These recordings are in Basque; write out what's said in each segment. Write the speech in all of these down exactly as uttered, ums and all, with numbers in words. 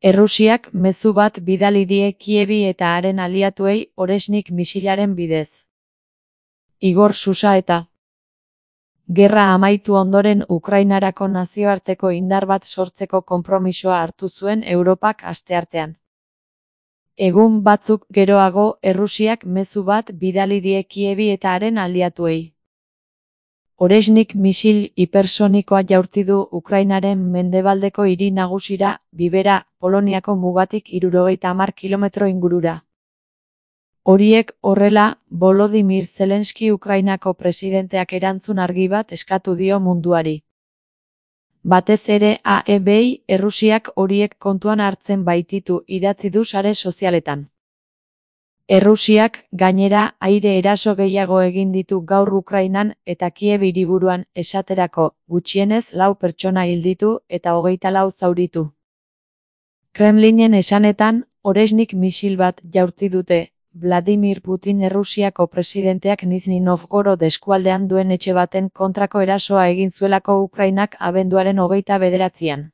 Errusiak mezu bat bidali die Kievi eta haren aliatuei Oresnik misilaren bidez. Igor Susaeta. Gerra amaitu ondoren Ukrainarako nazioarteko indar bat sortzeko konpromisoa hartu zuen Europak asteartean. Egun batzuk geroago Errusiak mezu bat bidali die Kievi eta haren aliatuei. Oresnik misil hipersonikoa jaurti du Ukrainaren mendebaldeko hiri nagusira, Bibera, Poloniako mugatik hirurogeita hamar kilometro ingurura. Horiek horrela, Volodymyr Zelenski Ukrainako presidenteak erantzun argi bat eskatu dio munduari. Batez ere A E B-i Errusiak horiek kontuan hartzen baititu idatzi du sare sozialetan. Errusiak, gainera, aire eraso gehiago egin ditu gaur Ukrainan eta Kiev hiriburuan esaterako, gutxienez lau pertsona hil ditu eta hogeita lau zauritu. Kremlinen esanetan, Oresnik misil bat jaurti dute, Vladimir Putin Errusiako presidenteak Nizhny Novgorod eskualdean duen etxe baten kontrako erasoa egin zuelako Ukrainak abenduaren hogeita bederatzian.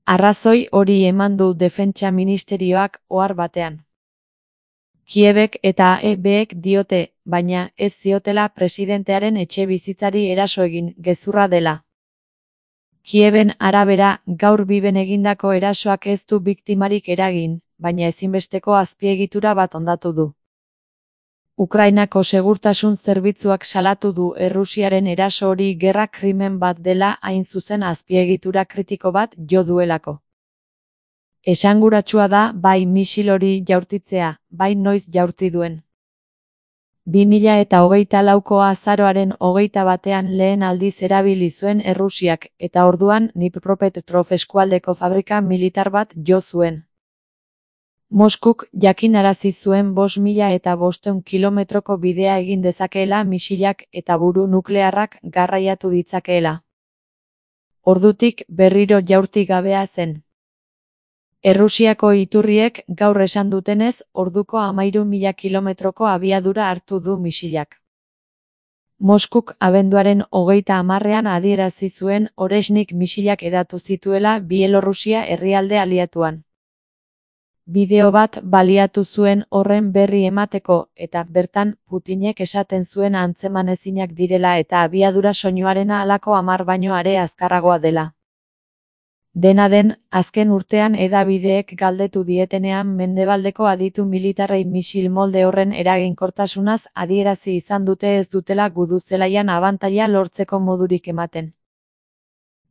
Arrazoi hori eman du Defentsa Ministerioak ohar batean. Kievek eta A E B-ek diote, baina ez ziotela presidentearen etxe bizitzari eraso egin, gezurra dela. Kieven arabera, gaur Biben egindako erasoak ez du biktimarik eragin, baina ezinbesteko azpiegitura bat hondatu du. Ukrainako segurtasun zerbitzuak salatu du Errusiaren eraso hori gerra krimen bat dela hain zuzen azpiegitura kritiko bat jo duelako. Esanguratsua da bai misil hori jaurtitzea, bai noiz jaurti duen. bi mila eta hogeita lauko azaroaren hogeita batean lehen aldiz erabili zuen Errusiak eta orduan Dnipropetrovsk eskualdeko fabrika militar bat jo zuen. Moskuk jakinarazi zuen bost mila eta bostehun kilometroko bidea egin dezakeela misilak eta buru nuklearrak garraiatu ditzakeela. Ordutik berriro jaurti gabea zen. Errusiako iturriek gaur esan dutenez, orduko hamahiru mila kilometroko abiadura hartu du misilak. Moskuk abenduaren hogeita hamarrean adierazi zuen Oresnik misilak hedatu zituela Bielorrusia herrialde aliatuan. Bideo bat baliatu zuen horren berri emateko, eta bertan Putinek esaten zuen antzeman-ezinak direla eta abiadura soinuarena halako hamar baino are azkarragoa dela. Dena den, azken urtean hedabideek galdetu dietenean mendebaldeko aditu militarrei misil molde horren eraginkortasunaz adierazi izan dute ez dutela gudu zelaian abantaila lortzeko modurik ematen.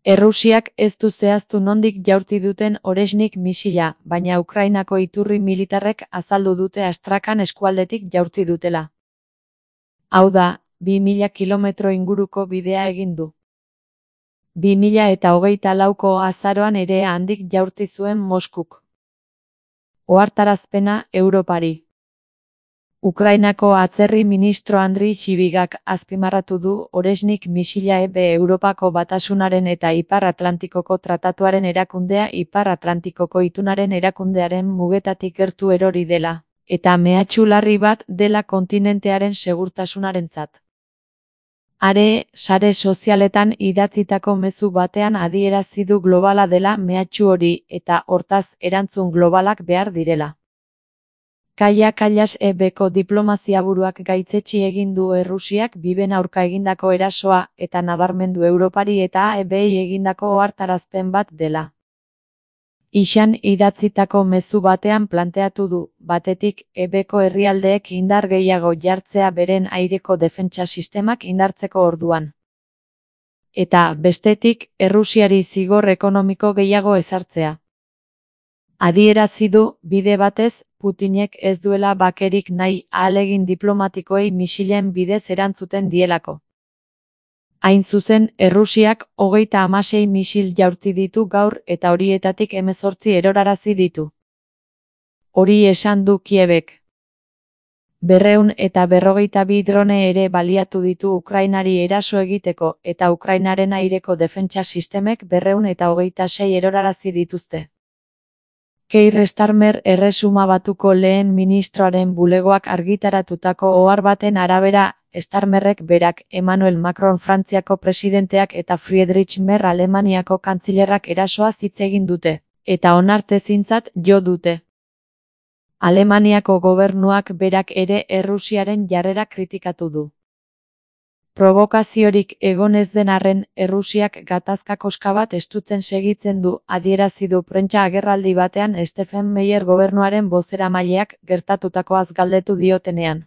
Errusiak ez du zehaztu nondik jaurti duten Oresnik misila, baina Ukrainako iturri militarrek azaldu dute Astrakan eskualdetik jaurti dutela. Hau da, bi mila kilometro inguruko bidea egin du. bi mila eta hogeita lauko azaroan ere handik jaurti zuen Moskuk. Ohartarazpena Europari. Ukrainako atzerri ministro Andriy Sybiga azpimarratu du Oresnik misila E B Europako Batasunaren eta Ipar Atlantikoko Tratatuaren erakundea Ipar Atlantikoko itunaren erakundearen mugetatik gertu erori dela, eta mehatxu larri bat dela kontinentearen segurtasunarentzat. Are, sare sozialetan idatzitako mezu batean adierazi du globala dela mehatxu hori eta hortaz erantzun globalak behar direla. Kaia Kallas E B-ko diplomaziaburuak gaitzetsi egin du Errusiak Biben aurka egindako erasoa eta nabarmendu Europari eta A E B-i egindako ohartarazpen bat dela. Ixan idatzitako mezu batean planteatu du, batetik, E B-ko herrialdeek indar gehiago jartzea beren aireko defentsa sistemak indartzeko orduan. Eta, bestetik, Errusiari zigor ekonomiko gehiago ezartzea. Adierazi du, bide batez, Putinek ez duela bakerik nahi ahalegin diplomatikoei misilen bidez erantzuten dielako. Hain zuzen, Errusiak hogeita hamasei misil jaurti ditu gaur eta horietatik hemezortzi erorarazi ditu. Hori esan du Kievek. Berreun eta berrogeita bi drone ere baliatu ditu Ukrainari eraso egiteko eta Ukrainaren aireko defentsa sistemek berreun eta hogeita sei erorarazi dituzte. Keir Starmer Erresuma Batuko lehen ministroaren bulegoak argitaratutako ohar baten arabera, Starmerrek berak, Emmanuel Macron Frantziako presidenteak eta Friedrich Merz Alemaniako kantzilerrak erasoa hitz egin dute. eta onartezintzat jo dute. Alemaniako gobernuak berak ere Errusiaren jarrera kritikatu du. Provokaziorik egon ez den arren, Errusiak gatazka koska bat estutzen segitzen du, adierazi du prentsa agerraldi batean Stephen Meyer gobernuaren bozeramaileak gertatutakoaz galdetu diotenean.